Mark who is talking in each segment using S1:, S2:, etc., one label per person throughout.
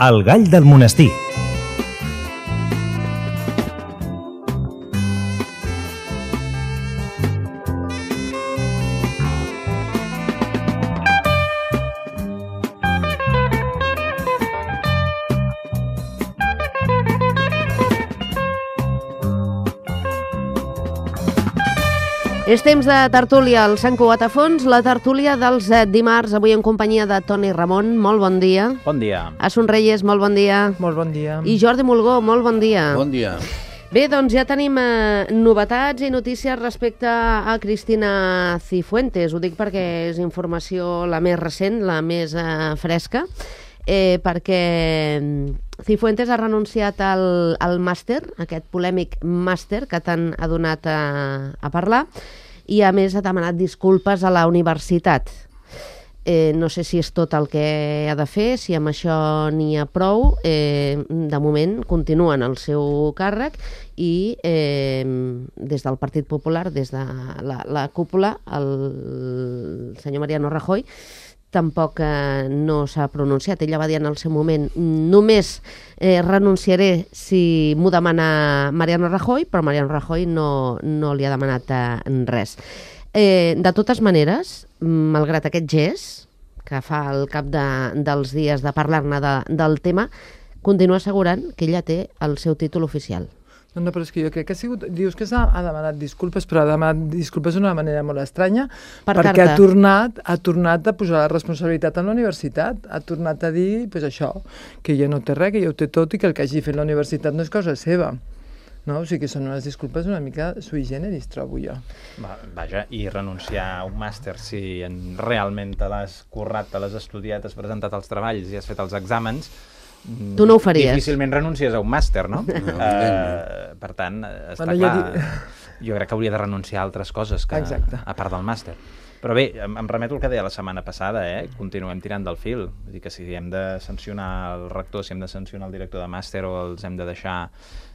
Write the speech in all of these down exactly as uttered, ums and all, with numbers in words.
S1: El gall del monestir.
S2: És temps de tertúlia al Sant Cugat a Fons, la tertúlia dels dimarts, avui en companyia de Toni Ramon. Molt bon dia.
S3: Bon dia.
S2: Asun Reyes, molt bon dia.
S4: Molt bon dia.
S2: I Jordi Mulgó, molt bon dia.
S5: Bon dia.
S2: Bé, doncs ja tenim eh, novetats i notícies respecte a Cristina Cifuentes. Ho dic perquè és informació la més recent, la més eh, fresca, eh, perquè Cifuentes ha renunciat al, al màster, aquest polèmic màster que tant ha donat a, a parlar, i a més ha demanat disculpes a la universitat. Eh, no sé si és tot el que ha de fer, si amb això n'hi ha prou. Eh, de moment continua en el seu càrrec i eh, des del Partit Popular, des de la, la cúpula, el senyor Mariano Rajoy tampoc eh, no s'ha pronunciat. Ella va dir en el seu moment només eh, renunciaré si m'ho demana Mariano Rajoy, però Mariano Rajoy no, no li ha demanat eh, res. Eh, de totes maneres, malgrat aquest gest que fa al cap de, dels dies de parlar-ne de, del tema, continua assegurant que ella té el seu títol oficial.
S4: No, no, però és que jo crec que ha sigut... Dius que ha, ha demanat disculpes, però ha demanat disculpes d'una manera molt estranya,
S2: per
S4: perquè
S2: carta.
S4: ha tornat, ha tornat a posar la responsabilitat en la universitat. Ha tornat a dir, pues això, que ella no té res, que ja ho té tot i que el que hagi fet la universitat no és cosa seva. No? O sigui que són unes disculpes una mica sui generis, trobo jo.
S3: Va, vaja, i renunciar a un màster si en, realment te l'has currat, te l'has estudiat, has presentat els treballs i has fet els exàmens,
S2: tu no ho faries.
S3: Difícilment renuncies a un màster, no?
S5: no
S3: uh, per tant, està
S4: bueno,
S3: clar,
S4: ja
S3: di... jo crec que hauria de renunciar a altres coses que, a part del màster. Però bé, em, em remeto al que deia la setmana passada, eh? Continuem tirant del fil. Vull dir que si hem de sancionar el rector, si hem de sancionar el director de màster o els hem de deixar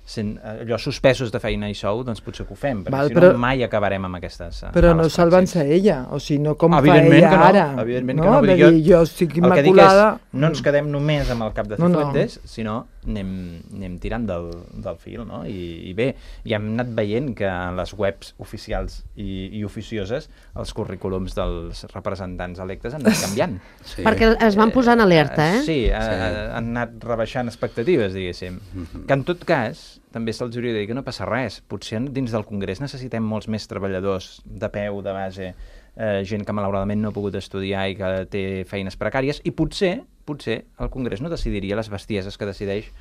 S3: sent, allò suspesos de feina i sou, doncs potser que ho fem, perquè Val, si però, no mai acabarem amb aquestes uh,
S4: Però no salvant-se ella, o sigui, no com fa
S3: evidentment
S4: ella
S3: no,
S4: ara.
S3: Evidentment
S4: no?
S3: que no,
S4: Vull
S3: jo,
S4: dir, jo estic
S3: el
S4: immaculada...
S3: que dic és, no ens quedem només amb el cap de Cifuentes, no, no. sinó anem, anem tirant del, del fil, no? I, I bé, ja hem anat veient que en les webs oficials i, i oficioses els currículums dels representants electes han anat canviant.
S2: Sí. Perquè es van posar en alerta, eh?
S3: Sí, sí. Uh, han anat rebaixant expectatives, diguéssim. Mm-hmm. Que en tot cas, també se'ls hauria de dir que no passa res. Potser dins del Congrés necessitem molts més treballadors de peu, de base, eh, gent que malauradament no ha pogut estudiar i que té feines precàries, i potser, potser el Congrés no decidiria les bestieses que decideix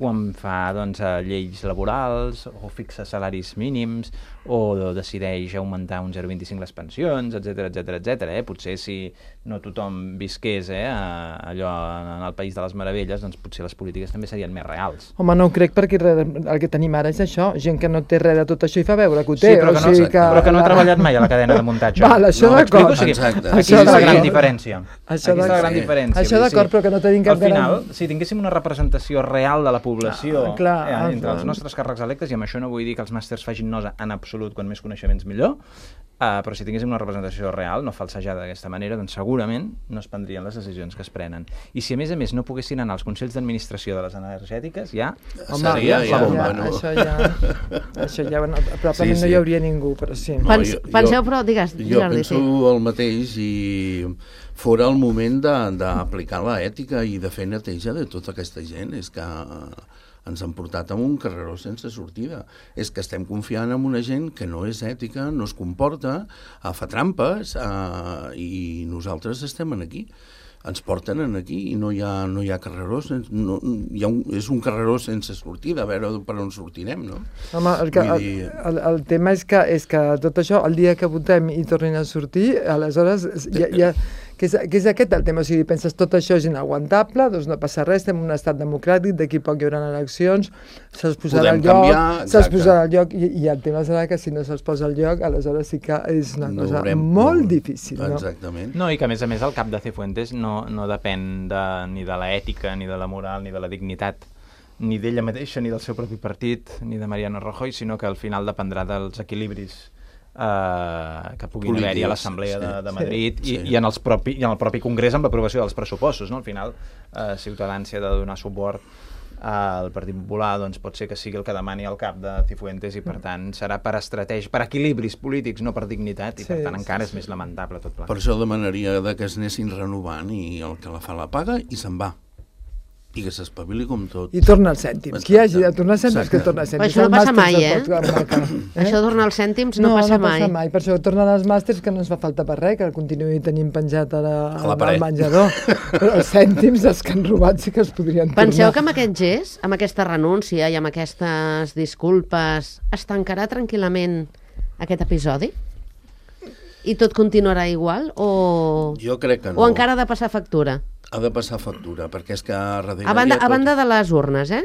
S3: quan fa doncs, lleis laborals o fixa salaris mínims o decideix augmentar un zero coma vint-i-cinc les pensions, etcètera, etcètera, etcètera. Eh? Potser si no tothom visqués eh, allò en el País de les Meravelles, doncs potser les polítiques també serien més reals.
S4: Home, no ho crec, perquè el que tenim ara és això, gent que no té res de tot això i fa veure que ho té.
S3: Sí, però que,
S4: o
S3: no,
S4: sigui que...
S3: però que no ha treballat mai a la cadena de muntatge.
S4: Val, això
S3: no,
S4: d'acord.
S3: O sigui,
S5: Exacte.
S3: aquí està la gran diferència.
S4: Això
S3: aquí està la gran
S4: sí.
S3: diferència.
S4: Això d'acord, però que no tenim cap...
S3: Al final, si tinguéssim una representació real de la població
S4: ah, clar,
S3: eh,
S4: ah,
S3: entre
S4: clar.
S3: els nostres càrrecs electes, i amb això no vull dir que els màsters facin nosa en absolut, quan més coneixements millor, uh, però si tinguéssim una representació real, no falsejada d'aquesta manera, doncs segurament no es prendrien les decisions que es prenen. I si a més a més no poguessin anar als consells d'administració de les energètiques, ja
S4: Home,
S3: seria
S5: ja,
S3: la bomba.
S4: Ja,
S5: bueno.
S4: Això ja... això ja no, probablement
S5: sí, sí.
S4: no hi hauria ningú, però sí.
S5: No,
S2: Pens,
S5: jo,
S2: penseu, però, digues,
S5: jo
S2: Jordi,
S5: penso
S2: sí.
S5: el mateix, i fora el moment d'aplicar l'ètica i de fer neteja de tota aquesta gent. És que ens han portat en un carreró sense sortida. És que estem confiant en una gent que no és ètica, no es comporta, fa trampes, eh, i nosaltres estem aquí. Ens porten aquí i no hi ha, no hi ha carreró, no, hi ha un, és un carreró sense sortida, a veure per on sortirem, no?
S4: Home, el, que, el, el, el tema és que, és que tot això, el dia que votem i tornin a sortir, aleshores ja, ja, que, és, que és aquest el tema, o sigui, penses tot això és inaguantable, doncs no passa res, estem en un estat democràtic, d'aquí poc hi haurà eleccions, se'ls posarà al lloc, se'ls posarà al lloc, i, i el tema serà que si no se'ls posa al lloc, aleshores sí que és una
S5: no
S4: cosa
S5: veurem,
S4: molt
S5: no,
S4: difícil, no?
S5: Exactament.
S3: No, i que a més a més el cap de Cifuentes no, no depèn de, ni de l'ètica, ni de la moral, ni de la dignitat, ni d'ella mateixa, ni del seu propi partit, ni de Mariano Rajoy, sinó que al final dependrà dels equilibris Uh, que puguin
S5: Polítics,
S3: haver-hi a l'Assemblea
S5: sí,
S3: de, de Madrid
S5: sí,
S3: i,
S5: sí.
S3: i, en els propi, i en el propi Congrés amb l'aprovació dels pressupostos, no? Al final uh, Ciutadans, si ha de donar suport al Partit Popular, doncs pot ser que sigui el que demani el cap de Cifuentes i per tant serà per estratègia, per equilibris polítics, no per dignitat, i per
S4: Sí,
S3: tant
S4: sí,
S3: encara
S4: sí.
S3: és més lamentable tot
S5: Per
S3: plegat.
S5: això demanaria de que es anessin renovant i el que la fa la paga i se'n va. I que s'espavili com tot.
S4: I torna als cèntims. Qui hagi de tornar als cèntims,
S5: Exacte.
S4: que torna als
S2: Però
S4: cèntims.
S2: això no
S4: Els
S2: passa
S4: màsters
S2: mai,
S4: de
S2: eh?
S4: tot, eh?
S2: Això de tornar als cèntims no,
S4: no
S2: passa
S4: no
S2: mai.
S4: passa mai. Per això tornen als màsters, que no ens fa falta per res, que el continuï tenint penjat a la,
S5: A la
S4: al
S5: paret.
S4: menjador. Però els cèntims, els que han robat, sí que els podrien
S2: Penseu
S4: tornar.
S2: que amb aquest gest, amb aquesta renúncia i amb aquestes disculpes, es tancarà tranquil·lament aquest episodi? I tot continuarà igual? O,
S5: Jo crec que no.
S2: o encara ha de passar factura?
S5: Ha de passar factura, perquè és que darrere...
S2: A banda,
S5: hi ha
S2: a
S5: tot-
S2: banda de les urnes, eh?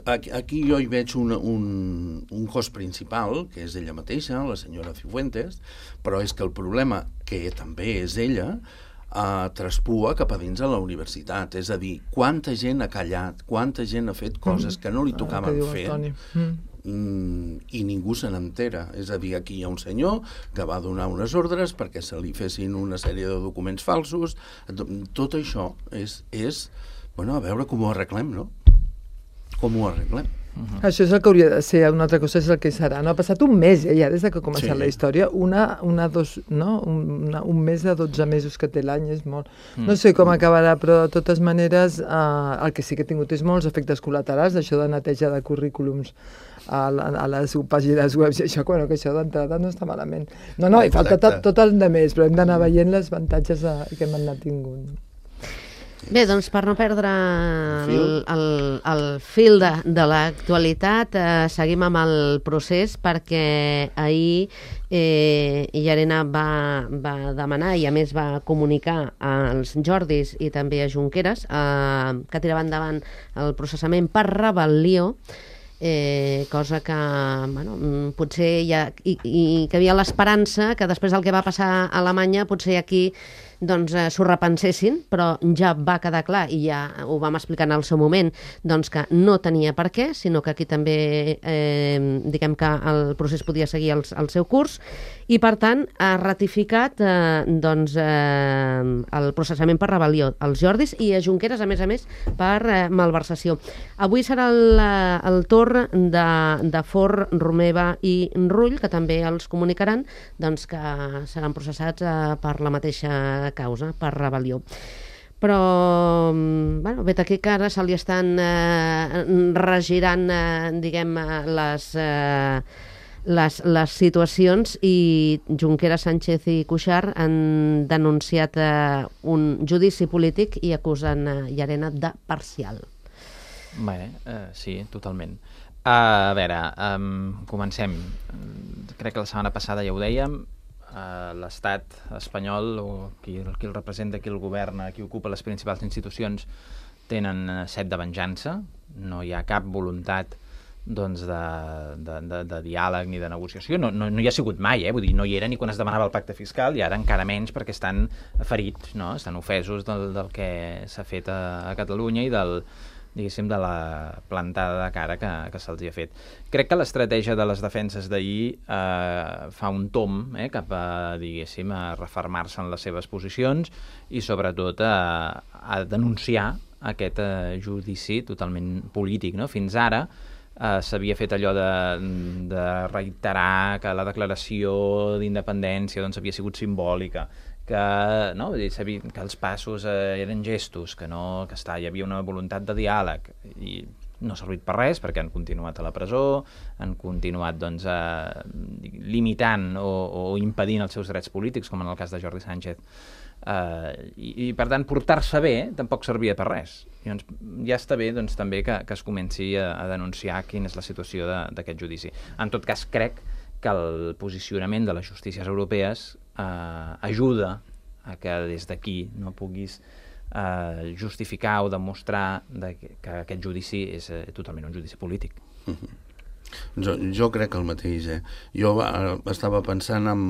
S5: Aquí, aquí jo hi veig un, un, un cos principal, que és ella mateixa, la senyora Cifuentes, però és que el problema, que també és ella, uh, traspua cap a dins a la universitat. És a dir, quanta gent ha callat, quanta gent ha fet coses que no li
S4: Ah, que
S5: tocaven
S4: diu el
S5: fer,
S4: Toni. Mm.
S5: mm, i ningú se n'entera. És a dir, aquí hi ha un senyor que va donar unes ordres perquè se li fessin una sèrie de documents falsos. Tot això és, és bueno, a veure com ho arreglem, no? Com ho arreglem?
S4: Uh-huh. Això és el que hauria de ser, una altra cosa és el que serà. No? Ha passat un mes, eh, ja, des de que ha començat
S5: Sí.
S4: la història, una, una, dos, no? una, un mes de dotze mesos que té l'any és molt.
S3: Mm.
S4: No sé com acabarà, però de totes maneres eh, el que sí que ha tingut és molts efectes col·laterals, això de neteja de currículums a, la, a les pàgines web i això, bueno, que això d'entrada no està malament. No, no, i falta tot,
S5: Exacte.
S4: tot el de més, però hem d'anar veient les avantatges de, que hem anat tingut.
S2: Bé, doncs per no perdre el,
S5: fil.
S2: el, el fil de, de l'actualitat, eh, seguim amb el procés perquè ahir eh, Llarena va, va demanar i a més va comunicar als Jordis i també a Junqueras eh, que tiraven endavant el processament per rebel·lió, eh, cosa que bueno, mm, potser hi ha, i, i que hi havia l'esperança que després del que va passar a Alemanya potser aquí doncs eh, s'ho repensessin, però ja va quedar clar, i ja ho vam explicar en el seu moment, doncs que no tenia per què, sinó que aquí també eh, diguem que el procés podia seguir el, el seu curs, i per tant ha ratificat eh, doncs, eh, el processament per rebel·lió als Jordis i a Junqueras, a més a més, per eh, malversació. Avui serà el, eh, el torn de, de Forn, Romeva i Rull, que també els comunicaran doncs, que seran processats eh, per la mateixa causa, per rebel·lió. Però, bueno, vet aquí que ara se li estan eh, regirant, eh, diguem, les, eh, les, les situacions, i Junqueras, Sánchez i Cuixart han denunciat eh, un judici polític i acusen eh, Llarena de parcial.
S3: Bé, eh, sí, totalment. Uh, a veure, um, comencem. Crec que la setmana passada ja ho dèiem, uh, l'estat espanyol, o qui, qui el representa, qui el governa, qui ocupa les principals institucions, tenen set de venjança. No hi ha cap voluntat doncs, de, de, de, de diàleg ni de negociació. No, no, no hi ha sigut mai, eh? Vull dir, no hi era ni quan es demanava el pacte fiscal, i ara encara menys perquè estan ferits, no? Estan ofesos del, del que s'ha fet a, a Catalunya i del, diguéssim, de la plantada de cara que, que se'ls ha fet. Crec que l'estratègia de les defenses d'ahir eh, fa un tom eh, cap a, diguéssim, a refermar-se en les seves posicions i sobretot a, a denunciar aquest eh, judici totalment polític, no? Fins ara eh, s'havia fet allò de, de reiterar que la declaració d'independència doncs, havia sigut simbòlica, que, no, vull dir, sabia que els passos eh, eren gestos, que, no, que està, hi havia una voluntat de diàleg, i no ha servit per res perquè han continuat a la presó, han continuat doncs, eh, limitant o, o impedint els seus drets polítics, com en el cas de Jordi Sánchez, eh, i, i per tant portar-se bé tampoc servia per res. I, doncs, ja està bé doncs, també que, que es comenci a, a denunciar quina és la situació d'aquest judici. En tot cas, crec que el posicionament de les justícies europees eh, ajuda a que des d'aquí no puguis eh, justificar o demostrar de que, que aquest judici és eh, totalment un judici polític.
S5: Uh-huh. Jo, jo crec el mateix. Eh? Jo eh, estava pensant en,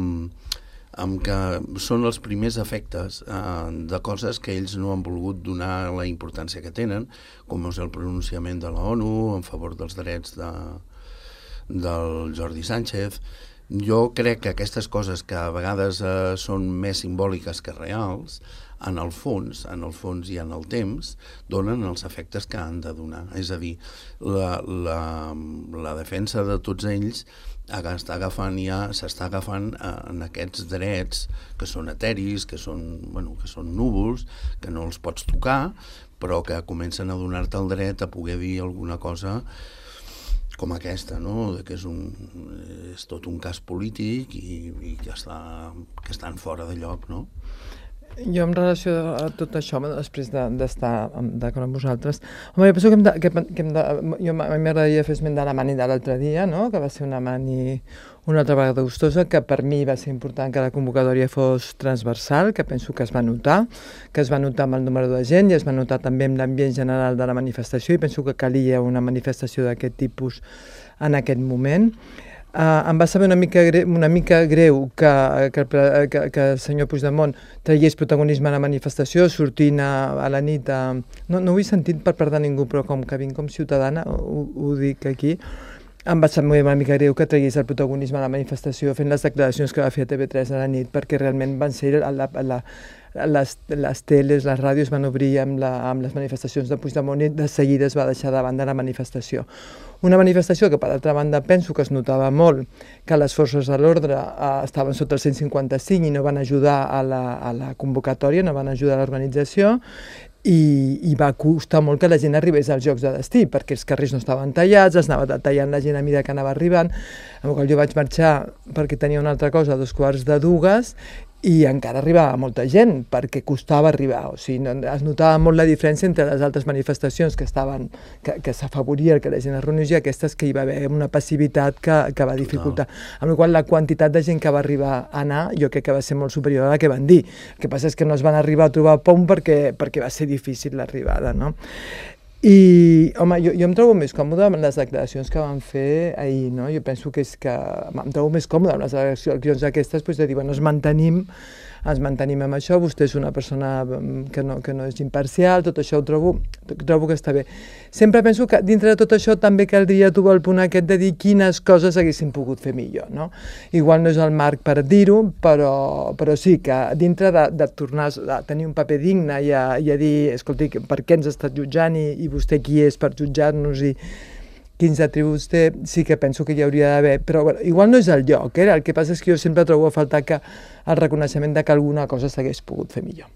S5: en que són els primers efectes eh, de coses que ells no han volgut donar la importància que tenen, com és el pronunciament de la ONU en favor dels drets de, del Jordi Sánchez, Jo crec que aquestes coses que a vegades eh, són més simbòliques que reals, en el fons, en el fons i en el temps, donen els efectes que han de donar. És a dir, la, la, la defensa de tots ells està agafant ja, s'està agafant en aquests drets que són eteris, que són, bueno, que són núvols, que no els pots tocar, però que comencen a donar-te el dret a poder dir alguna cosa com aquesta, no? Que és, un, és tot un cas polític i, i que, està, que estan fora de lloc, no?
S4: Jo, en relació a tot això, després d'estar de, d'acord amb vosaltres, home, jo penso que hem de... Que, que hem de jo, a mi m'agradaria fer esment de la mani de l'altre dia, no? Que va ser una mani una altra vegada gustosa, que per mi va ser important que la convocatòria fos transversal, que penso que es va notar, que es va notar amb el número de gent i es va notar també amb l'ambient general de la manifestació, i penso que calia una manifestació d'aquest tipus en aquest moment. Uh, em va saber una mica greu, una mica greu que, que, que, que el senyor Puigdemont tragués protagonisme a la manifestació, sortint a, a la nit. A... No, no ho he sentit per part de ningú, però com que vinc com ciutadana, ho, ho dic aquí, em va saber una mica greu que tragués el protagonisme a la manifestació fent les declaracions que va fer a T V tres a la nit, perquè realment van ser a la, a la, les, les teles, les ràdios van obrir amb, la, amb les manifestacions de Puigdemont i de seguida es va deixar de banda la manifestació. Una manifestació que, per altra banda, penso que es notava molt que les forces de l'ordre eh, estaven sota el cent cinquanta-cinc i no van ajudar a la, a la convocatòria, no van ajudar a l'organització, i, i va costar molt que la gent arribés als jocs de destí, perquè els carrers no estaven tallats, es anava tallant la gent a mesura que anava arribant, amb la qual jo vaig marxar perquè tenia una altra cosa a dos quarts de dues, i encara arribava molta gent, perquè costava arribar. O sigui, no, es notava molt la diferència entre les altres manifestacions que estaven, que, que s'afavoria que la gent es reunís i aquestes que hi va haver una passivitat que, que va dificultar. Amb la qual la quantitat de gent que va arribar a anar, jo crec que va ser molt superior a la que van dir. El que passa és que no es van arribar a trobar pont perquè, perquè va ser difícil l'arribada, no? I, home, jo, jo em trobo més còmode amb les declaracions que van fer ahir, no? Jo penso que és que em trobo més còmode amb les declaracions aquestes, doncs de dir, bueno, ens mantenim, ens mantenim amb això, vostè és una persona que no, que no és imparcial, tot això ho trobo, trobo que està bé. Sempre penso que dintre de tot això també caldria trobar el punt aquest de dir quines coses haguessin pogut fer millor, no? Igual no és el marc per dir-ho, però, però sí que dintre de, de tornar a tenir un paper digne i a, i a dir, escolti, per què ens està jutjant i, i vostè qui és per jutjar-nos i quins atributs té, sí que penso que hi hauria d'haver, però bueno, igual no és el lloc, eh? El que passa és que jo sempre trobo a faltar que el reconeixement de que alguna cosa s'hagués pogut fer millor.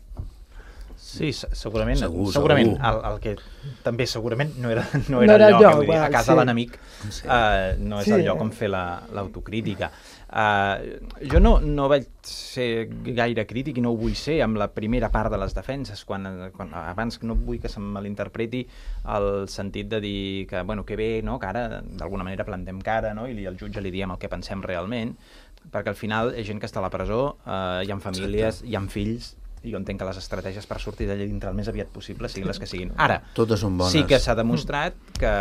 S3: Sí, segurament,
S5: segur,
S3: segurament
S5: segur.
S3: El, el que també segurament no era, no era, no era el lloc, lloc dir, a casa sí. de l'enemic
S5: sí.
S3: uh, no és sí. el lloc on fer l'autocrítica. Uh, jo no, no vaig ser gaire crític i no ho vull ser amb la primera part de les defenses, quan, quan abans no vull que se malinterpreti el sentit de dir que, bueno, que bé, no? Que ara d'alguna manera plantem cara, no? I al jutge li diem el que pensem realment, perquè al final hi ha gent que està a la presó, uh, hi ha famílies, Exacte. Hi ha fills, i jo entenc que les estratègies per sortir d'allà dintre el més aviat possible siguin les que siguin. Ara,
S5: totes són bones.
S3: Sí que s'ha demostrat que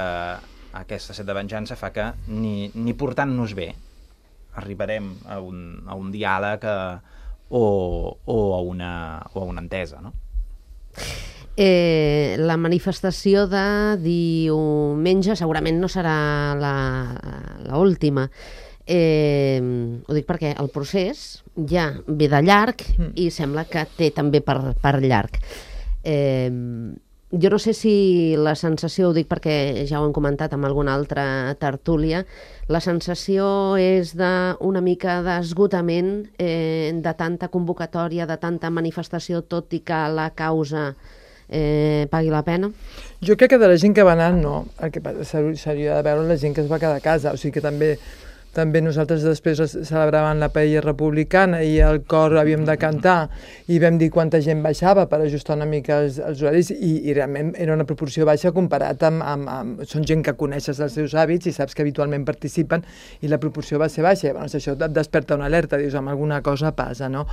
S3: aquesta set de venjança fa que ni, ni portant-nos bé arribarem a un, a un diàleg a, o, o, a una, o a una entesa, no?
S2: Eh, la manifestació de diumenge segurament no serà l'última. Eh, ho dic perquè el procés ja ve de llarg i sembla que té també per, per llarg. Eh, jo no sé si la sensació, ho dic perquè ja ho hem comentat amb alguna altra tertúlia, la sensació és d'una mica d'esgotament eh, de tanta convocatòria, de tanta manifestació, tot i que la causa eh, pagui la pena?
S4: Jo crec que de la gent que va anar, no. El que seria de veure la gent que es va quedar a casa, o sigui que també També nosaltres després celebràvem la paella republicana i el cor havíem de cantar i vam dir quanta gent baixava per ajustar una mica els, els horaris i, i realment era una proporció baixa comparat amb, amb, amb... Són gent que coneixes els seus hàbits i saps que habitualment participen i la proporció va ser baixa. Llavors això et desperta una alerta, dius, amb alguna cosa passa, no?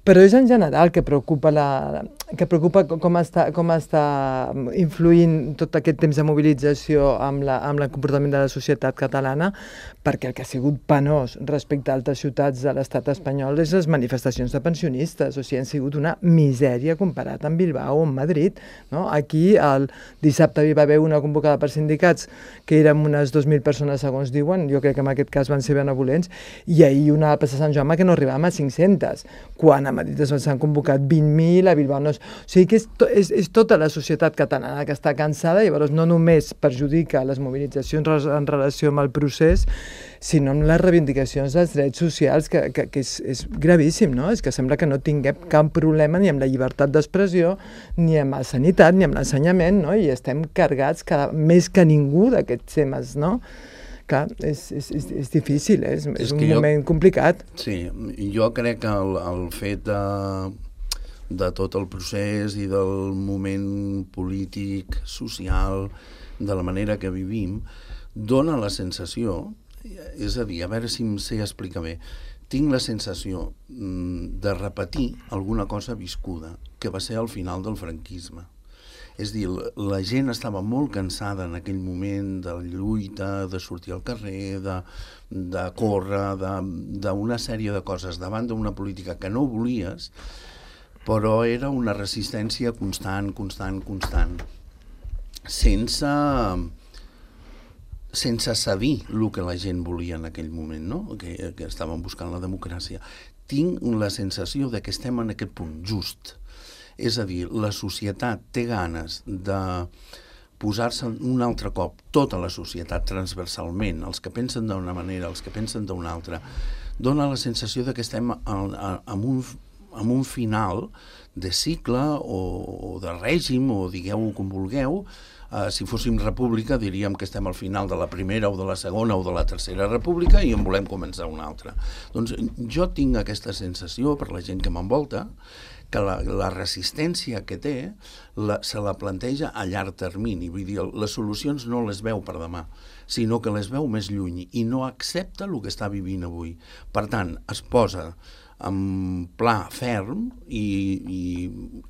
S4: Però és en general que preocupa la, que preocupa com està, com està influint tot aquest temps de mobilització amb, la, amb el comportament de la societat catalana, perquè el que ha sigut penós respecte a altres ciutats de l'estat espanyol és les manifestacions de pensionistes, o sigui, han sigut una misèria comparat amb Bilbao o amb Madrid. No? Aquí el dissabte hi va haver una convocada per sindicats que érem unes dos mil persones, segons diuen, jo crec que en aquest cas van ser benevolents, i ahir una a plaça Sant Jaume que no arribàvem a cinc-centes, quan a Madrid s'han convocat vint mil, a Bilbao no. O sigui que és, to, és, és tota la societat catalana que està cansada i llavors no només perjudica les mobilitzacions en relació amb el procés, sinó amb les reivindicacions dels drets socials, que, que, que és, és gravíssim, no? És que sembla que no tinguem cap problema ni amb la llibertat d'expressió, ni amb la sanitat, ni amb l'ensenyament, no? I estem cargats cada, més que ningú d'aquests temes, no? Clar, és, és, és, és difícil, eh? és, és, és un moment jo, complicat.
S5: Sí, jo crec que el, el fet de... de tot el procés i del moment polític, social, de la manera que vivim, dona la sensació, és a dir, a veure si em sé explicar bé, tinc la sensació de repetir alguna cosa viscuda, que va ser al final del franquisme. És dir, la gent estava molt cansada en aquell moment de lluita, de sortir al carrer, de, de córrer, d'una sèrie de coses davant d'una política que no volies, però era una resistència constant, constant, constant, sense, sense cedir el que la gent volia en aquell moment, no? que, que estaven buscant la democràcia. Tinc la sensació de que estem en aquest punt just. És a dir, la societat té ganes de posar-se un altre cop, tota la societat transversalment, els que pensen d'una manera, els que pensen d'una altra, dona la sensació de que estem en un amb un final de cicle o, o de règim, o digueu-ho com vulgueu. Uh, si fóssim república diríem que estem al final de la primera o de la segona o de la tercera república i en volem començar una altra. Doncs jo tinc aquesta sensació, per la gent que m'envolta, que la, la resistència que té la, se la planteja a llarg termini. Vull dir, les solucions no les veu per demà, sinó que les veu més lluny i no accepta el que està vivint avui. Per tant, es posa amb pla ferm i, i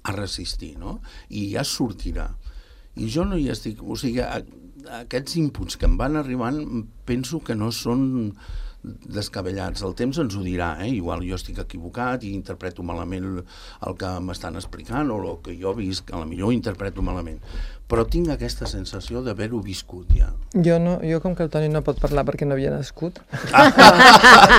S5: a resistir, no? I ja sortirà. I jo no hi estic... O sigui, a, a aquests inputs que em van arribant penso que no són descabellats. El temps ens ho dirà, eh? Igual jo estic equivocat i interpreto malament el que m'estan explicant o el que jo visc, que potser interpreto malament. Però tinc aquesta sensació d'haver-ho viscut ja.
S4: Jo, no, jo com que el Toni no pot parlar perquè no havia nascut.
S2: Ah.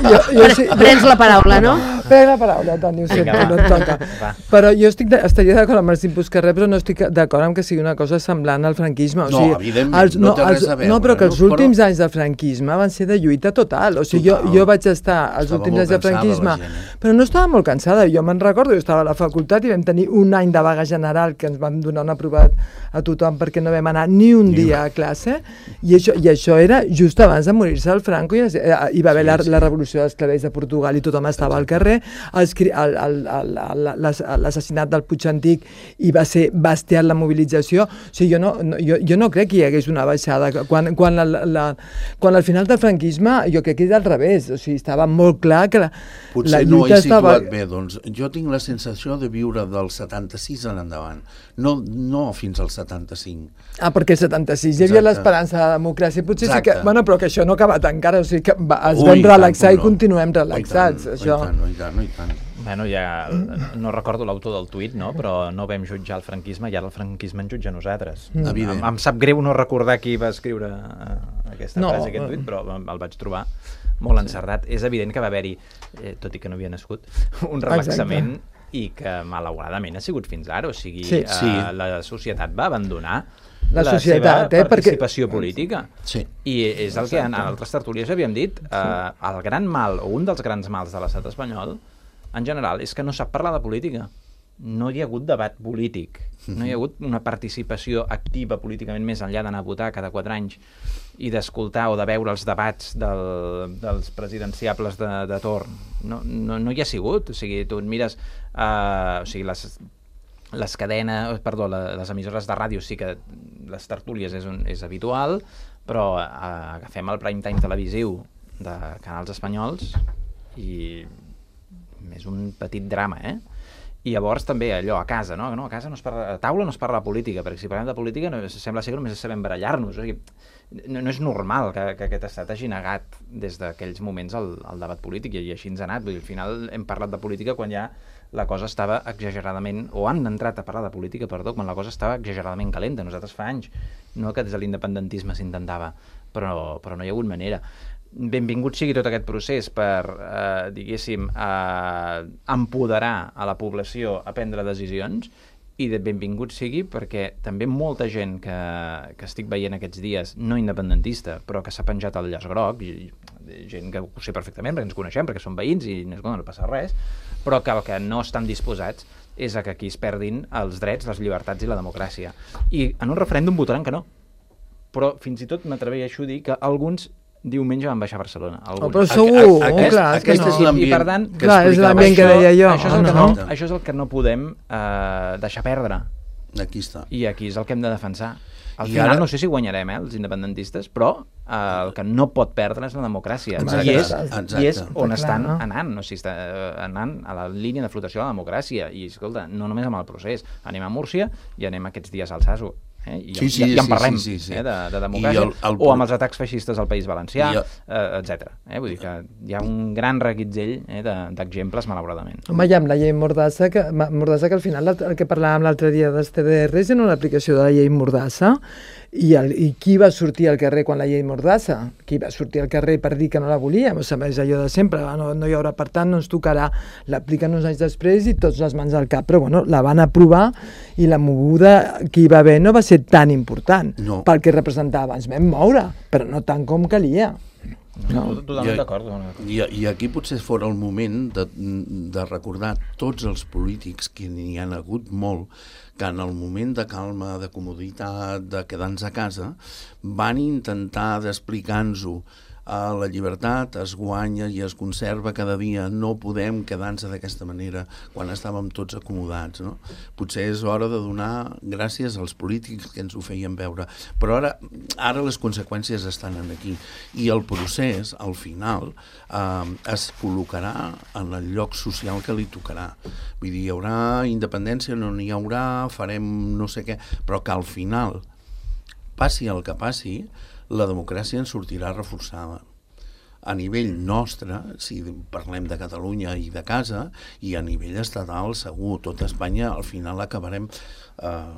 S2: jo, jo, sí, jo... Prens la paraula, no?
S4: Prenc la paraula, Toni, ho sento, no et toca. Va. Però jo estic de, estaria d'acord amb els inputs que rep, però no estic d'acord amb que sigui una cosa semblant al franquisme. O sigui,
S5: no, evidentment, els, no, no té res a veure.
S4: No, però que els
S5: no,
S4: últims
S5: però...
S4: anys del franquisme van ser de lluita total. O sigui, total. jo, jo vaig estar als estava últims anys del franquisme, gent, eh? Però no estava molt cansada. Jo me'n recordo, jo estava a la facultat i vam tenir un any de vaga general que ens vam donar un aprovat a tothom perquè no vam anar ni un dia a classe, i això, i això era just abans de morir-se el Franco, i hi va haver la, la revolució dels clavells de Portugal i tothom estava al carrer, l'assassinat del Puig Antic i va ser bestial la mobilització. O sigui, jo no, no, jo, jo no crec que hi hagués una baixada. Quan, quan, la, la, quan al final del franquisme jo crec que és al revés, o sigui, estava molt clar que la,
S5: potser
S4: la
S5: lluita no he situat
S4: estava...
S5: bé, doncs jo tinc la sensació de viure del setanta-sis en endavant, no, no fins al setanta-cinc.
S4: Ah, perquè el setanta-sis hi havia l'esperança de la democràcia, potser Exacte. sí que... Bueno, però que això no ha acabat encara, o sigui que va, es vam relaxar i continuem relaxats.
S5: No,
S4: això.
S5: i tant, no, i tant, no, i tant.
S3: Bueno, ja no recordo l'autor del tuit, no? Però no vam jutjar el franquisme i ara el franquisme ens jutja a nosaltres. Mm. Em, em sap greu no recordar qui va escriure aquesta no, frase, aquest tuit, però el vaig trobar molt encertat. És evident que va haver-hi, eh, tot i que no havia nascut, un relaxament Exacte. i que malauradament ha sigut fins ara. O sigui, sí, eh, sí. la societat va abandonar la, la societat, seva eh, participació perquè... política. Sí. I és el que en altres tertúlies havíem dit. Eh, el gran mal, o un dels grans mals de l'estat espanyol, en general, és que no sap parlar de política. No hi ha hagut debat polític. No hi ha hagut una participació activa políticament més enllà d'anar a votar cada quatre anys i d'escoltar o de veure els debats del, dels presidenciables de, de torn. No, no, no hi ha sigut. O sigui, tu et mires... Uh, o sigui, les... les cadenes, perdó, les emissores de ràdio sí que les tertúlies és, un, és habitual, però eh, agafem el prime time televisiu de canals espanyols i és un petit drama, eh? I llavors també allò, a casa, no? no a casa no es parla, a taula no es parla de política, perquè si parlem de política no, sembla ser que només sabem barallar-nos. O sigui, no, no és normal que, que aquest estat hagi negat des d'aquells moments el, el debat polític, i així ens ha anat. Vull dir, al final hem parlat de política quan ja la cosa estava exageradament, o han entrat a parlar de política, perdó, quan la cosa estava exageradament calenta. Nosaltres fa anys, no que des de l'independentisme s'intentava, però, però no hi ha hagut manera. Benvingut sigui tot aquest procés per, eh, diguéssim, eh, empoderar a la població a prendre decisions, i de benvingut sigui perquè també molta gent que, que estic veient aquests dies, no independentista, però que s'ha penjat el llaç groc, i, gent que ho sé perfectament perquè ens coneixem, perquè són veïns i no, no passa res, però que el que no estan disposats és a que aquí es perdin els drets, les llibertats i la democràcia. I en un referèndum votaran que no. Però fins i tot m'atreveixo a dir que alguns diumenge van baixar a Barcelona.
S4: Oh, però segur, a, a, aquest, clar, és que no.
S5: És l'ambient,
S3: I per tant,
S4: que clar, és l'ambient que deia jo.
S3: Això és el, que no, això és el que no podem eh, deixar perdre.
S5: Aquí està.
S3: I aquí és el que hem de defensar. Al
S5: I
S3: final
S5: ara...
S3: no sé si guanyarem, eh, els independentistes, però eh, el que no pot perdre és la democràcia.
S5: Exacte.
S3: I és,
S5: Exacte.
S3: i és on
S4: Clar,
S3: estan
S4: no?
S3: anant, o sigui, està eh, anant a la línia de flotació de la democràcia. I, escolta, no només amb el procés. Anem a Múrcia i anem aquests dies al Saso. Eh? I,
S5: sí, sí,
S3: i, i en parlem
S5: sí, sí, sí.
S3: Eh, de, de democràcia, el, el... o amb els atacs feixistes al País Valencià, el... eh, etcètera. Eh? Vull dir que hi ha un gran reguitzell eh, d'exemples, malauradament.
S4: Home, hi ha amb la llei Mordassa, que, Mordassa, que al final el que parlàvem l'altre dia dels T D Rs era una aplicació de la llei Mordassa, i, el, i qui va sortir al carrer quan la llei Mordassa? Qui va sortir al carrer per dir que no la volíem? O sigui, és allò de sempre, no, no hi haurà, per tant, no ens tocarà. L'apliquen uns anys després i tots les mans al cap, però bueno, la van aprovar i la moguda que hi va haver no va ser tan important
S5: no.
S4: pel que representava. Ens vam moure, però no tant com calia.
S3: No. Totalment d'acord.
S5: I, I aquí potser fora el moment de, de recordar tots els polítics, que n'hi han hagut molt, que en el moment de calma, de comoditat, de quedar-nos a casa, van intentar d'explicar-nos-ho. Uh, la llibertat es guanya i es conserva cada dia, no podem quedar-nos d'aquesta manera quan estàvem tots acomodats, no? Potser és hora de donar gràcies als polítics que ens ho feien veure, però ara, ara les conseqüències estan aquí, i el procés, al final, uh, es col·locarà en el lloc social que li tocarà. Vull dir, hi haurà independència, no n'hi haurà, farem no sé què, però que al final, passi el que passi, la democràcia en sortirà reforçada. A nivell nostre, si parlem de Catalunya i de casa, i a nivell estatal, segur, tot Espanya, al final acabarem eh,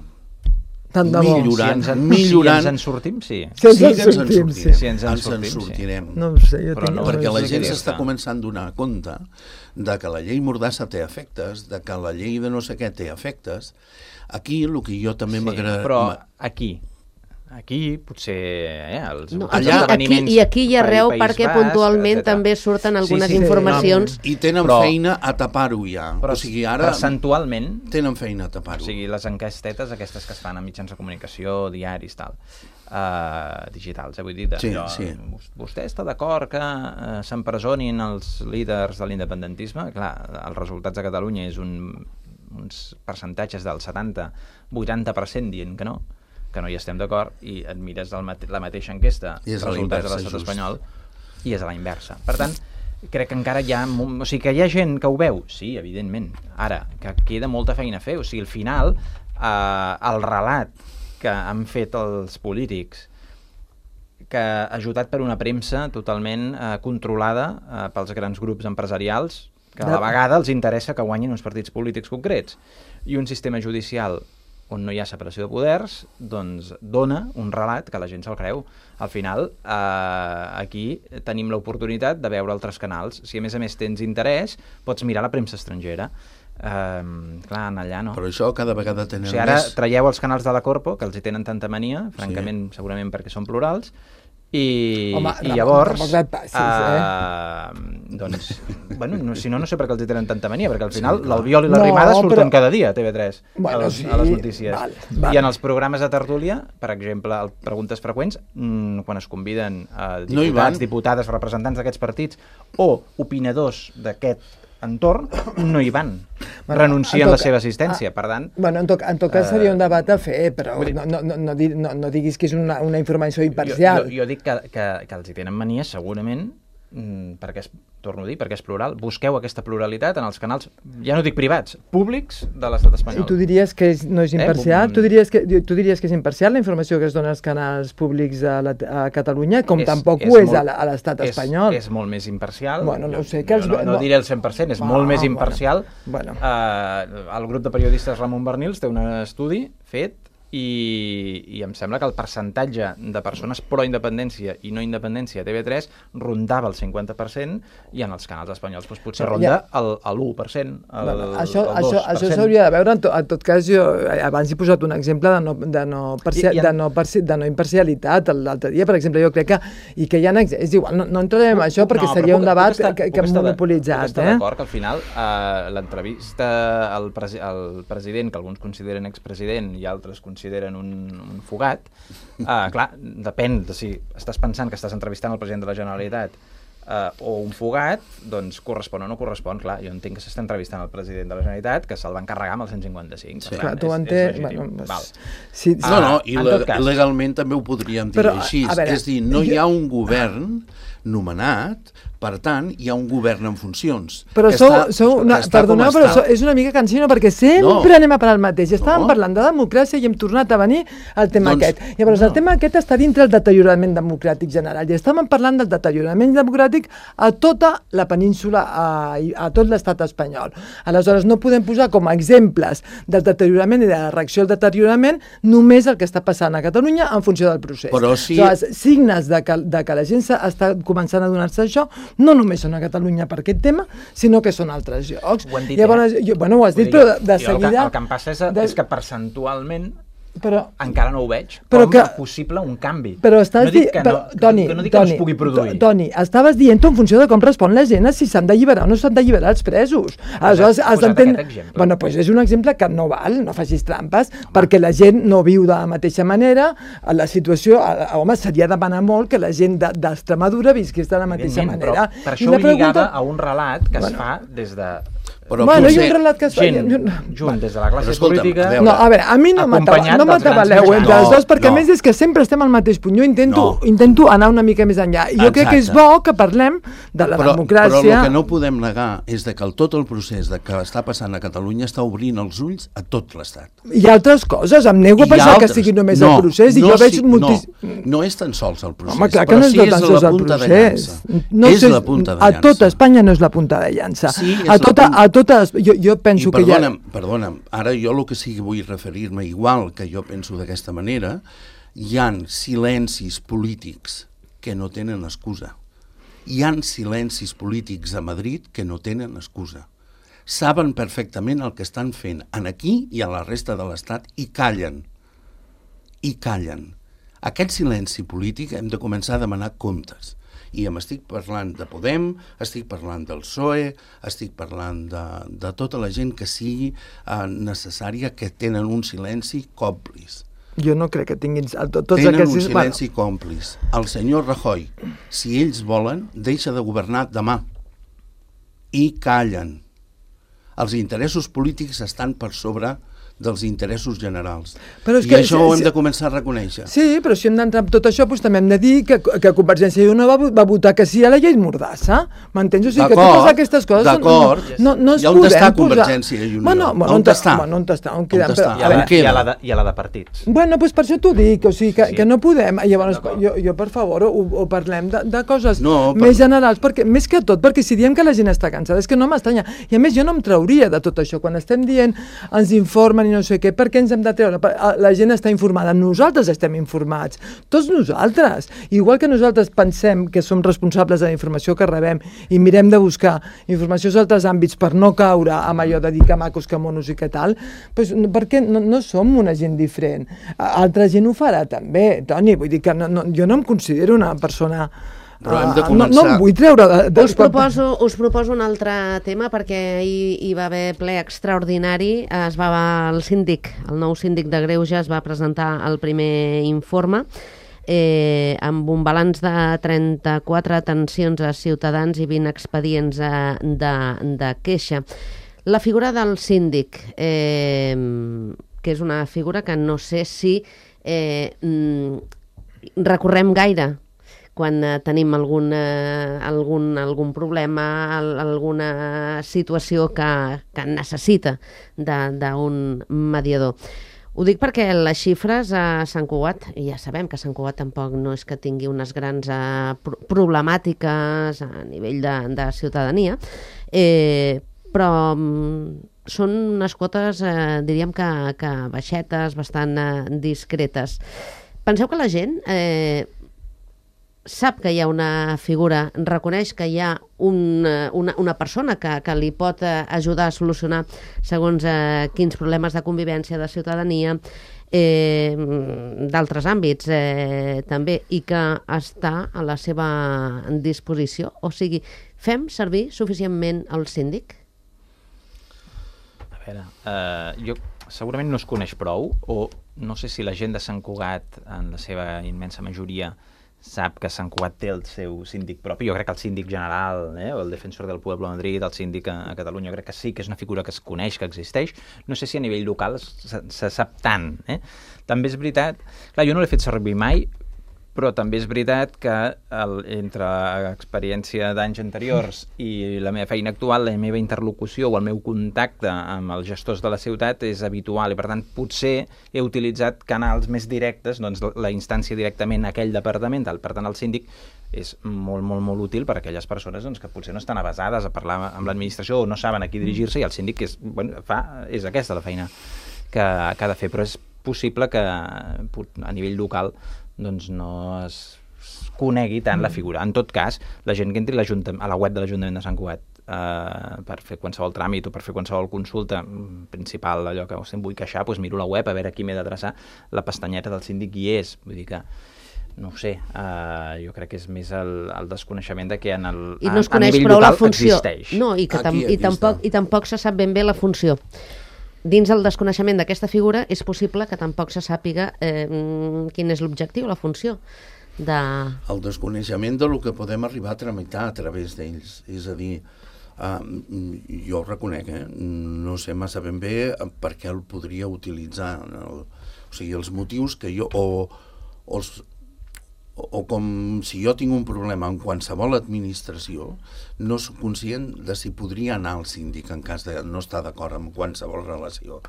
S4: Tant de bo.
S5: millorant.
S3: Si ens,
S5: millorant.
S3: si ens en sortim, sí.
S4: Si ens
S5: Sí,
S4: en
S5: que ens en
S4: sortim,
S5: sortirem.
S4: sí.
S3: Si ens en
S5: Ens en
S3: sortim, sí.
S5: sortirem.
S4: No ho sé, jo
S3: Però
S4: tinc...
S3: no,
S5: Perquè la
S3: sé
S5: gent
S3: què
S5: s'està
S3: dir-te.
S5: començant a donar compte de que la llei Mordassa té efectes, de que la llei de no sé què té efectes. Aquí, el que jo també
S3: Sí,
S5: m'agrada...
S3: però aquí, aquí potser eh, els
S2: No,
S3: els
S2: aquí, aquí,
S3: esdeveniments
S2: I aquí i arreu,
S3: País
S2: perquè
S3: Basc,
S2: puntualment
S3: etcètera.
S2: també surten algunes
S3: Sí, sí,
S2: informacions.
S5: I tenen
S3: Però-
S5: feina a tapar-ho ja.
S3: Però
S5: o sigui, ara
S3: percentualment,
S5: tenen feina a
S3: o
S5: tapar-ho.
S3: sigui, les enquestetes aquestes que es fan a mitjans de comunicació, diaris, tal, uh, digitals, eh, vull dir, de,
S5: Sí,
S3: allò,
S5: sí.
S3: vostè està d'acord que uh, s'empresonin els líders de l'independentisme? Clar, els resultats de Catalunya és un, uns percentatges del setanta vuitanta per cent dient que no, que no hi estem d'acord, i et mires el mate la mateixa enquesta,
S5: I és a la
S3: resultats de
S5: inversa,
S3: l'estat
S5: just.
S3: espanyol, i és a la inversa. Per tant, crec que encara hi ha... O sigui, que hi ha gent que ho veu? Sí, evidentment. Ara, que queda molta feina a fer. O sigui, al final, eh, el relat que han fet els polítics, que ajudat per una premsa totalment eh, controlada eh, pels grans grups empresarials, que a la vegada els interessa que guanyin uns partits polítics concrets, i un sistema judicial on no hi ha separació de poders, doncs dona un relat que la gent se'l creu. Al final, eh, aquí tenim l'oportunitat de veure altres canals. Si a més a més tens interès, pots mirar la premsa estrangera. Eh, clar, en allà no.
S5: Però això cada vegada tenen
S3: O sigui, ara
S5: més...
S3: traieu els canals de la Corpo, que els hi tenen tanta mania, francament, sí. segurament perquè són plurals, i,
S4: Home,
S3: i
S4: Ramon,
S3: llavors
S4: tampoc et passis,
S3: eh? doncs, bueno, no, si no, no sé per què els hi tenen tanta mania, perquè al final
S5: Sí, clar.
S3: l'Albiol i la
S4: No,
S3: Rimada surten
S4: però-
S3: cada dia a T V tres,
S4: Bueno,
S3: a, les,
S4: sí,
S3: a les notícies.
S4: val, val.
S3: I en els programes de tertúlia, per exemple, el Preguntes Freqüents, mmm, quan es conviden a
S5: No hi
S3: diputats,
S5: van.
S3: diputades, representants d'aquests partits o opinadors d'aquest entorn, no hi van.
S4: Bueno,
S3: Renuncien
S4: en
S3: la
S4: tot
S3: seva
S4: ca-
S3: assistència,
S4: ah,
S3: per tant...
S4: Bueno, en tot, en tot cas
S3: Eh,
S4: seria un debat a fer, però
S3: vull dir-
S4: no, no, no, no, no, no diguis que és una, una informació
S3: Jo,
S4: imparcial.
S3: jo, jo dic que, que, que els hi tenen mania segurament perquè és, torno a dir, perquè és plural, busqueu aquesta pluralitat en els canals, ja no dic privats, públics de l'estat espanyol.
S4: I tu diries que és, no és imparcial? Eh? Tu, diries que, tu diries que és imparcial la informació que es dona als canals públics a, la, a Catalunya, com és, tampoc és ho és molt, a l'estat espanyol?
S3: És molt més imparcial.
S4: Bueno, no ho sé. Que els,
S3: no, no, no diré el cent per cent, és ah, molt més imparcial.
S4: Bueno, bueno.
S3: Uh, el grup de periodistes Ramon Bernils té un estudi fet I, i em sembla que el percentatge de persones pro-independència i no independència a T V tres rondava el cinquanta per cent i en els canals espanyols doncs, potser ronda ja. el, el l'u per cent, el,
S4: bueno, això,
S3: el dos per cent.
S4: Això, això s'hauria de veure. En, to, en tot cas, jo abans he posat un exemple de no, de no, parcia, I, i en... de no, parci, de no imparcialitat l'altre dia, per exemple, jo crec que i que hi ha, és igual, no, no entrarem en això perquè no, seria puc, un debat estar, que, que hem monopolitzat. Puc estar eh? d'acord
S3: que al final eh, l'entrevista al, presi al president, que alguns consideren expresident i altres consideren un, un fugat, uh, clar, depèn de si estàs pensant que estàs entrevistant el president de la Generalitat uh, o un fugat, doncs correspon o no correspon. Clar, jo entenc que s'està entrevistant el president de la Generalitat, que se'l va encarregar amb el cent cinquanta-cinc.
S4: Sí. Clar, tu entens... Bueno,
S3: pues,
S4: sí, sí.
S5: No, no, i le cas... legalment també ho podríem dir Però, així. Veure, és dir, no jo... hi ha un govern nomenat, per tant, hi ha un govern en funcions.
S4: Però sou, està, sou una, perdoneu, però sou, és una mica cansino perquè sempre no. anem a parar el mateix. Estàvem no. parlant de democràcia i hem tornat a venir al tema doncs, aquest. Llavors, no. el tema aquest està dintre el deteriorament democràtic general i estàvem parlant del deteriorament democràtic a tota la península, a, a tot l'estat espanyol. Aleshores, no podem posar com a exemples del deteriorament i de la reacció al deteriorament només el que està passant a Catalunya en funció del procés.
S5: Però si...
S4: Aleshores, signes de que, de que la gent està començant a donar-se això no només són a Catalunya per aquest tema, sinó que són altres llocs.
S3: Ho han dit,
S4: Llavors,
S3: eh?
S4: jo, bueno, ho has dit, però de, de
S3: jo,
S4: seguida...
S3: El que, el que em passa és, de... és que percentualment
S4: però,
S3: encara no ho veig
S4: però
S3: com
S4: que,
S3: a possible un canvi.
S4: Però estàs
S3: no dic que,
S4: però,
S3: no,
S4: Toni,
S3: que, no dic
S4: Toni,
S3: que no es pugui produir.
S4: Toni, estaves dient en funció de com respon la gent si s'han d'alliberar o no s'han d'alliberar els presos. Aleshores, has d'entendre... Bueno, doncs és un exemple que no val, no facis trampes, home. Perquè la gent no viu de la mateixa manera, la situació, home, seria demanar molt que la gent d'Extremadura visqués de la mateixa manera.
S3: Però per això ho pregunta... lligava a un relat que bueno. es fa des de...
S4: Però bueno, hi ha un relat que es fa...
S3: Gent, junt des de la classe política...
S4: A no, a veure, a mi no m'atabaleu entre els dos, perquè no. a més és que sempre estem al mateix punt. Jo intento, no. intento anar una mica més enllà. I jo Exacte. crec que és bo que parlem de la
S5: però,
S4: democràcia...
S5: Però el que no podem negar és de que el, tot el procés de que està passant a Catalunya està obrint els ulls a tot l'Estat.
S4: Hi ha altres coses, em nego a pensar altres. que sigui només no, el procés, i
S5: no,
S4: jo veig
S5: sí,
S4: moltis...
S5: no, no és tan sols el procés,
S4: Home, clar que
S5: però
S4: no és
S5: sí
S4: tan
S5: és
S4: sols
S5: la
S4: el
S5: punta
S4: procés.
S5: de llança.
S4: No
S5: és
S4: sé,
S5: la punta de llança.
S4: A tota Espanya no és la punta de llança.
S5: Sí,
S4: a tota, a totes, jo, jo penso
S5: I perdona'm,
S4: que hi ha...
S5: Perdona'm, ara jo el que sí que vull referir-me, igual que jo penso d'aquesta manera, hi han silencis polítics que no tenen excusa. Hi han silencis polítics a Madrid que no tenen excusa. Saben perfectament el que estan fent en aquí i a la resta de l'Estat i callen. I callen. Aquest silenci polític hem de començar a demanar comptes. I em estic parlant de Podem, estic parlant del P S O E, estic parlant de, de tota la gent que sigui eh, necessària, que tenen un silenci còmplice.
S4: Jo no crec que tinguin... Tots
S5: tenen
S4: aquests...
S5: un silenci bueno. còmplice. El senyor Rajoy, si ells volen, deixa de governar demà. I callen. Els interessos polítics estan per sobre dels interessos generals. Però és I que, això sí, ho hem de començar a reconèixer.
S4: Sí, però si hem d'entrar en tot això, doncs també hem de dir que, que Convergència i Unió va, va votar que sí a la llei Mordassa. M'entens? O sigui, que totes aquestes coses...
S5: D'acord,
S4: no, no, no
S5: i on està Convergència i Unió?
S4: Bueno, bueno, on, on està? Bueno, on està? On quedem?
S3: Però, I, a la, i, a la de, I a la de partits.
S4: Bueno, doncs per això t'ho dic, o sigui, que, sí. que no podem... Llavors, jo, jo, per favor, ho, ho parlem de, de coses no, per... més generals, perquè més que tot, perquè si diem que la gent està cansada, és que no m'estranya. I a més, jo no em trauria de tot això. Quan estem dient, ens informen i no sé què, per què ens hem de treure? La gent està informada, nosaltres estem informats, tots nosaltres. Igual que nosaltres pensem que som responsables de la informació que rebem i mirem de buscar informació als altres àmbits per no caure amb allò de dir que macos, que monos i que tal, doncs perquè no, no som una gent diferent. Altra gent ho farà també, Toni, vull dir que no, no, jo no em considero una persona...
S5: Però hem de començar...
S4: No, no em vull treure... De, de...
S2: Us, proposo, us proposo un altre tema, perquè hi, hi va haver ple extraordinari. Es va, el síndic, el nou síndic de Greuges va presentar el primer informe eh, amb un balanç de trenta-quatre atencions a ciutadans i vint expedients de, de queixa. La figura del síndic, eh, que és una figura que no sé si eh, recorrem gaire quan eh, tenim algun, eh, algun, algun problema, al, alguna situació que, que necessita d'un mediador. Ho dic perquè les xifres a Sant Cugat, i ja sabem que Sant Cugat tampoc no és que tingui unes grans eh, problemàtiques a nivell de, de ciutadania, eh, però mm, són unes quotes, eh, diríem que, que baixetes, bastant eh, discretes. Penseu que la gent eh, sap que hi ha una figura, reconeix que hi ha un, una, una persona que, que li pot ajudar a solucionar segons eh, quins problemes de convivència, de ciutadania, eh, d'altres àmbits eh, també, i que està a la seva disposició. O sigui, fem servir suficientment el síndic?
S3: A veure, eh, jo segurament no es coneix prou, o no sé si la gent de Sant Cugat, en la seva immensa majoria, sap que Sant Cugat té el seu síndic propi. Jo crec que el síndic general, eh, o el defensor del Pueblo de Madrid, el síndic a, a Catalunya, jo crec que sí que és una figura que es coneix, que existeix. No sé si a nivell local se, se sap tant. Eh? També és veritat... Clar, jo no l'he fet servir mai, però també és veritat que el, entre l'experiència d'anys anteriors i la meva feina actual, la meva interlocució o el meu contacte amb els gestors de la ciutat és habitual, i per tant potser he utilitzat canals més directes, doncs la instància directament a aquell departament, per tant el síndic és molt, molt, molt útil per a aquelles persones doncs, que potser no estan avesades a parlar amb l'administració o no saben a qui dirigir-se, i el síndic és, bueno, fa, és aquesta la feina que, que ha de fer, però és possible que a nivell local doncs no es conegui tant la figura. En tot cas, la gent que entri a la web de l'Ajuntament de Sant Cugat eh, per fer qualsevol tràmit o per fer qualsevol consulta principal, allò que em vull queixar, doncs miro la web a veure a qui m'he d'adreçar, la pestanyeta del síndic hi és. Vull dir que, no ho sé, eh, jo crec que és més el, el desconeixement de que en el,
S2: I no es
S3: a, a
S2: coneix
S3: nivell
S2: prou la
S3: local
S2: funció.
S3: Existeix.
S2: No, i, que tam
S5: Aquí,
S2: i, tampoc, i tampoc se sap ben bé la funció. Dins el desconeixement d'aquesta figura és possible que tampoc se sàpiga eh, quin és l'objectiu, la funció de...
S5: El desconeixement de lo que podem arribar a tramitar a través d'ells. És a dir, uh, jo ho reconec, eh? No sé massa ben bé per què el podria utilitzar. El, o sigui, els motius que jo... O, o els, o com si jo tinc un problema en qualsevol administració, no soc conscient de si podria anar al síndic en cas de no estar d'acord amb qualsevol relació.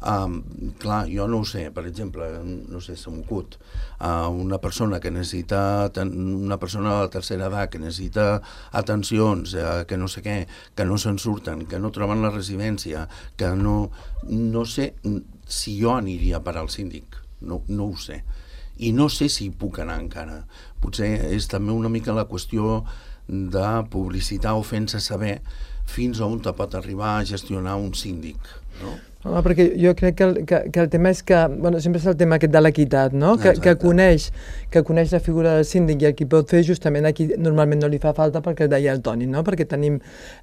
S5: Um, clar, jo no ho sé, per exemple, no sé, se m'ocut, uh, una persona que necessita, una persona de la tercera edat que necessita atencions, uh, que no sé què, que no se'n surten, que no troben la residència, que no, no sé si jo aniria per al síndic, no, no ho sé. I no sé si hi puc anar encara. Potser és també una mica la qüestió de publicitar o fent-se saber fins a on te pot arribar a gestionar un síndic, no?
S4: Home, perquè jo crec que el, que, que el tema és que, bueno, sempre és el tema aquest de l'equitat, no? Que, que, coneix, que coneix la figura del síndic i el qui pot fer, justament aquí normalment no li fa falta, perquè deia el Toni, no? Perquè tenim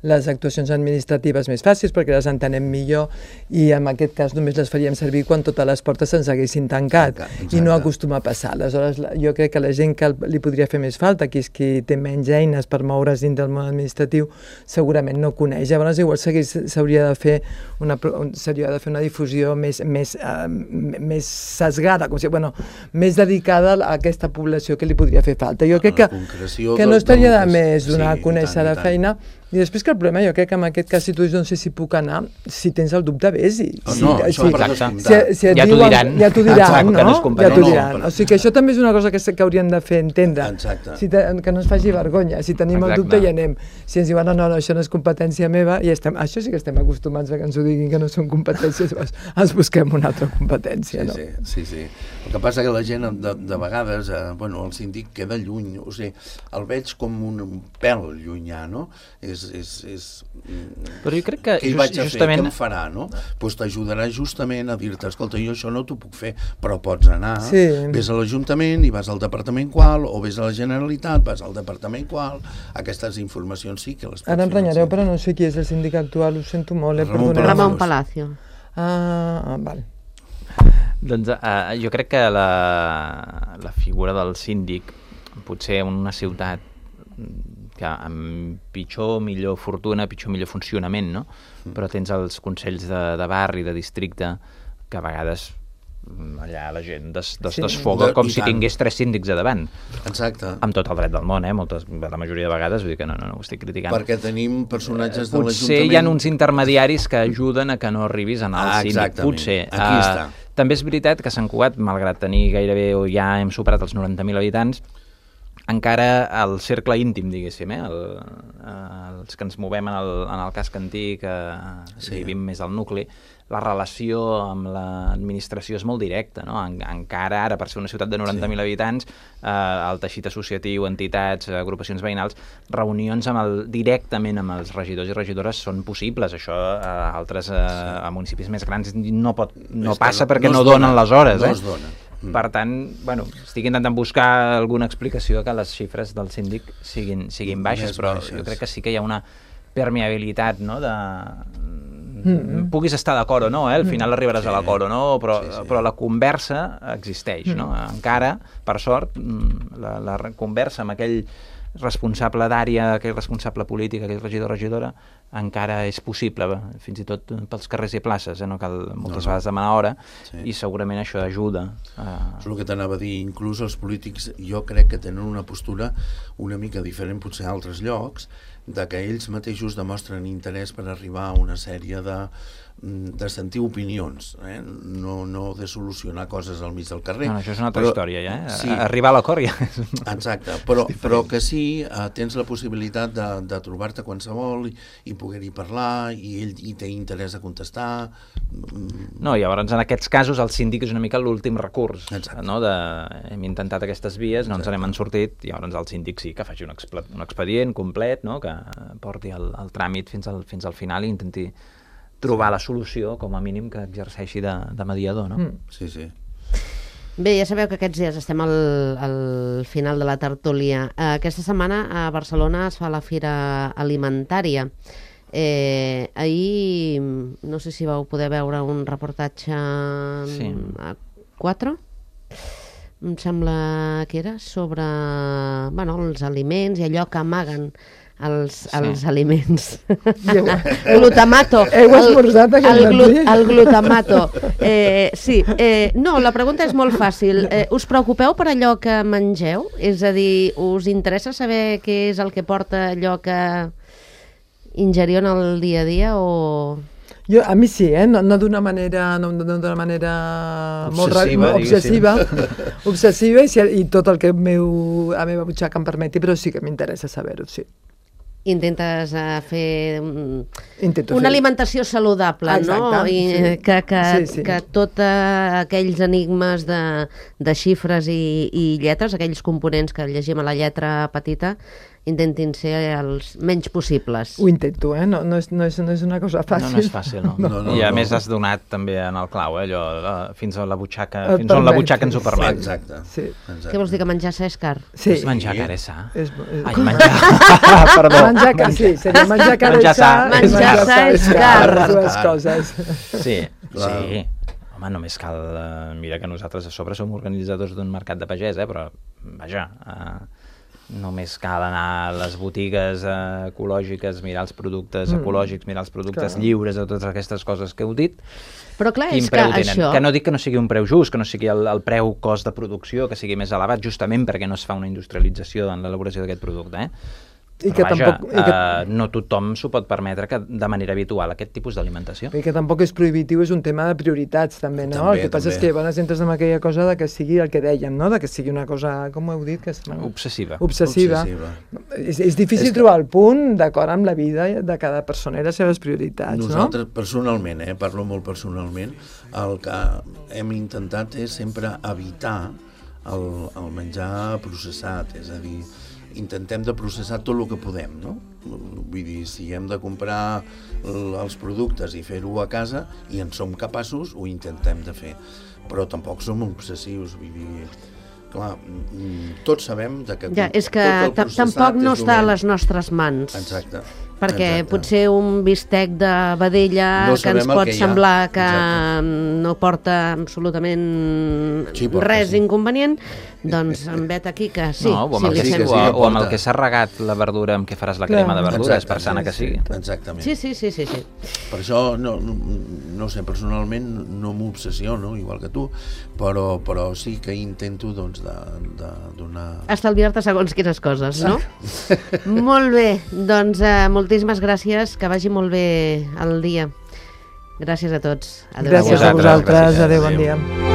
S4: les actuacions administratives més fàcils, perquè les entenem millor, i en aquest cas només les faríem servir quan totes les portes se'ns haguessin tancat, exacte, i no acostuma a passar. Aleshores, jo crec que la gent que li podria fer més falta, qui és qui té menys eines per moure's dins del món administratiu, segurament no coneix. Llavors, igual s'hauria de fer una... Seria de fer una difusió més, més, uh, més sesgada, com si, bueno, més dedicada a aquesta població que li podria fer falta. Jo crec que, que no estaria de més donar a conèixer la feina. I després que el problema, jo crec que en aquest cas, si tu dius no sé si puc anar, si tens el dubte, vés-hi.
S5: Oh, no,
S4: si,
S5: això
S4: si,
S5: per
S4: si, si et
S3: ja t'ho diran.
S4: Ja t'ho diran,
S3: Exacte,
S4: no?
S3: no
S4: Ja t'ho
S5: no,
S4: diran.
S5: no,
S4: O sigui que això també és una cosa que, que hauríem de fer entendre.
S5: Exacte.
S4: Si te, que no ens faci vergonya. Si tenim
S3: Exacte.
S4: el dubte i anem. Si ens diuen, no, no, no, això no és competència meva, i estem, això sí que estem acostumats a que ens ho diguin, que no són competències, ens busquem una altra competència,
S5: sí,
S4: no?
S5: Sí, sí, sí. El que passa que la gent, de, de vegades, eh, bueno, el síndic queda lluny, o sigui, el veig com un, un pèl llunyà, no? És... és, és
S3: Però jo crec que
S5: què hi
S3: just,
S5: vaig a
S3: justament...
S5: fer, què em farà, no? Doncs t'ajudarà justament a dir-te, escolta, jo això no t'ho puc fer, però pots anar,
S4: sí.
S5: Ves a l'Ajuntament i vas al departament qual, o ves a la Generalitat, vas al departament qual, aquestes informacions sí que les pots
S4: Ara em
S5: fer.
S4: renyareu, però no sé qui és el síndic actual, ho sento molt, eh?
S5: Ramon
S4: Perdoneu.
S2: Ramon Palacio.
S4: Ah, ah, val.
S3: Doncs uh, jo crec que la, la figura del síndic, potser en una ciutat que amb pitjor o millor fortuna, pitjor o millor funcionament, no? Mm. Però tens els consells de, de barri, de districte, que a vegades allà la gent des, des,
S4: Sí.
S3: desfoga
S5: De-
S3: com
S5: i
S3: si
S5: tant.
S3: tingués tres síndics a davant,
S5: Exacte.
S3: amb tot el dret del món, eh? Moltes, la majoria de vegades, vull dir que no, no, no ho estic criticant.
S5: Perquè tenim personatges de
S3: Potser
S5: l'Ajuntament...
S3: hi ha uns intermediaris que ajuden a que no arribis a anar al
S5: Ah,
S3: síndic.
S5: exactament.
S3: Potser.
S5: Aquí
S3: Eh,
S5: està.
S3: També és veritat que Sant Cugat, malgrat tenir gairebé, o ja hem superat els noranta mil habitants, encara el cercle íntim, diguéssim, eh? el, eh, els que ens movem en el, en el casc antic, eh,
S5: Sí.
S3: vivim més al nucli, la relació amb l'administració és molt directa, no? En, encara ara, per ser una ciutat de noranta mil sí. habitants, eh, el teixit associatiu, entitats, agrupacions veïnals, reunions amb el, directament amb els regidors i regidores són possibles. Això a altres eh, sí. a municipis més grans no, pot, no passa
S5: no,
S3: perquè
S5: no
S3: no,
S5: es
S3: donen
S5: dona,
S3: les hores.
S5: no
S3: eh?
S5: es dona. Mm.
S3: Per tant, bueno, estic intentant buscar alguna explicació que les xifres del síndic siguin, siguin baixes,
S5: Més
S3: però
S5: baixes.
S3: jo crec que sí que hi ha una permeabilitat, no?, de... Mm-hmm. Puguis estar d'acord o no, eh? Al final arribaràs
S5: Sí.
S3: a l'acord o no, però,
S5: Sí, sí.
S3: però la conversa existeix, no? Encara, per sort, mm, la, la re- conversa amb aquell responsable d'àrea, aquell responsable polític, aquell regidor o regidora, encara és possible, fins i tot pels carrers i places, eh? No cal moltes
S5: no.
S3: vegades demanar hora,
S5: Sí.
S3: i segurament això ajuda a...
S5: És el que t'anava a dir, inclús els polítics jo crec que tenen una postura una mica diferent potser a altres llocs, de que ells mateixos demostren interès per arribar a una sèrie de, de sentir opinions, eh? no, no de solucionar coses al mig del carrer.
S3: No, no, això és una altra
S5: però,
S3: història, ja, eh?
S5: Sí,
S3: Arribar a l'acord ja és...
S5: exacte, però, però que sí, eh, tens la possibilitat de, de trobar-te qualsevol i, i poder-hi parlar, i ell hi té interès a contestar.
S3: No, i llavors en aquests casos el síndic és una mica l'últim recurs,
S5: Exacte.
S3: no? De, hem intentat aquestes vies, no ens
S5: Exacte.
S3: n'hem sortit, i llavors el síndic sí que faci un, expl un expedient complet, no? Que porti el, el tràmit fins al, fins al final i intenti trobar la solució, com a mínim que exerceixi de, de mediador, no?
S4: Mm.
S5: Sí, sí.
S2: Bé, ja sabeu que aquests dies estem al, al final de la tertúlia. Eh, Aquesta setmana a Barcelona es fa la Fira Alimentària. Eh, ahir, no sé si vau poder veure un reportatge
S3: Sí.
S2: a quatre, em sembla que era, sobre bueno, els aliments i allò que amaguen els,
S3: Sí.
S2: els aliments. Glutamato.
S4: Heu esmorzat aquest
S2: el, glu
S4: matí?
S2: el glutamato. Eh, sí, eh, no, la pregunta és molt fàcil. Eh, us preocupeu per allò que mengeu? És a dir, us interessa saber què és el que porta allò que ingeriu en el dia a dia o...
S4: Jo, a mi sí, eh? no, no d'una manera, no, no d'una manera molt ra-
S5: Obsessiva,
S4: obsessiva, obsessiva i, si, i tot el que meu, la meva butxaca em permeti, però sí que m'interessa saber-ho, sí.
S2: Intentes uh, fer um,
S4: Intento
S2: una
S4: fer-
S2: alimentació saludable,
S4: Exacte,
S2: no? I
S4: sí.
S2: que, que,
S4: Sí, sí.
S2: que tots aquells enigmes de, de xifres i, i lletres, aquells components que llegim a la lletra petita, intentin ser els menys possibles.
S4: Ho intento, eh? No, no, és, no, és, no és una cosa fàcil.
S3: No, no és fàcil, no.
S5: No, no,
S3: I a
S5: no.
S3: més has donat també en el clau, eh, allò, la, fins a la butxaca,
S4: Et
S3: fins on la
S4: permet,
S3: butxaca ens ho
S4: sí.
S3: permet.
S5: Exacte.
S4: Sí.
S5: Exacte.
S2: Què vols dir, que menjar sa és car?
S4: Sí.
S3: És menjar car és sa.
S4: És, és...
S3: Ai, menjar... Perdó.
S4: Menjar car, sí, seria menjar car
S3: Menjar
S4: és sa,
S3: sa.
S4: i
S2: Menjar sa és car.
S4: les dues
S5: Car.
S4: coses.
S3: Sí,
S5: Clar.
S3: sí. Home, només cal... Eh, mira que nosaltres a sobre som organitzadors d'un mercat de pagès, eh, però, vaja, eh, només cal anar a les botigues eh, ecològiques, mirar els productes
S4: Mm.
S3: ecològics, mirar els productes
S4: Clar.
S3: lliures de totes aquestes coses que heu dit,
S2: Però clar,
S3: quin
S2: és que
S3: preu tenen.
S2: això...
S3: Que no dic que no sigui un preu just, que no sigui el, el preu cost de producció, que sigui més elevat, justament perquè no es fa una industrialització en l'elaboració d'aquest producte, eh?
S4: I
S3: Però
S4: que
S3: vaja,
S4: tampoc... I que...
S3: eh, no tothom s'ho pot permetre que, de manera habitual aquest tipus d'alimentació.
S4: I que tampoc és prohibitiu, és un tema de prioritats també, no?
S5: També,
S4: el que passa
S5: també.
S4: és que llavors entres en aquella cosa de que sigui el que dèiem, no? De que sigui una cosa, com ho heu dit? Que és...
S3: Obsessiva.
S4: Obsessiva.
S5: Obsessiva.
S4: És, és difícil
S5: És que-
S4: trobar el punt d'acord amb la vida de cada persona i les seves prioritats,
S5: Nosaltres, personalment, eh, parlo molt personalment, el que hem intentat és sempre evitar el, el menjar processat, és a dir, intentem de processar tot el que podem, no? Vull dir, si hem de comprar l- els productes i fer-ho a casa i en som capaços, ho intentem de fer. Però tampoc som obsessius, vull dir... Clar, mm, tots sabem de que...
S2: Ja, és que
S5: tot el
S2: ta-
S5: processat
S2: tampoc no
S5: és
S2: està a
S5: dolent.
S2: les nostres mans.
S5: Exacte.
S2: perquè
S5: Exacte.
S2: potser un bistec de vedella
S5: No
S2: que ens
S5: sabem el
S2: pot
S5: que hi ha.
S2: semblar que
S5: Exacte.
S2: no porta absolutament
S5: Sí, porta,
S2: res
S5: sí.
S2: inconvenient, doncs en vet aquí que sí,
S3: no, o amb,
S2: si
S3: el
S2: li
S3: que,
S5: sí,
S2: fem...
S5: que
S3: o,
S5: sí, que
S3: o amb el
S5: porta.
S3: que s'ha regat la verdura amb què faràs la
S4: Clar.
S3: crema de verdures,
S5: Exacte,
S3: per sana que
S5: sí,
S3: sigui.
S5: Exactament.
S2: Sí, sí, sí, sí, sí.
S5: Per això, no, no, no sé, personalment no m'obsessiono, igual que tu, però, però sí que intento doncs, de, de donar...
S2: Estalviar-te segons quines coses, no? Molt bé, doncs eh, moltíssimes gràcies, que vagi molt bé el dia. Gràcies a tots. Adéu.
S4: Gràcies a
S3: vosaltres,
S4: vosaltres,
S3: gràcies.
S4: adéu, bon
S5: Adéu.
S4: dia.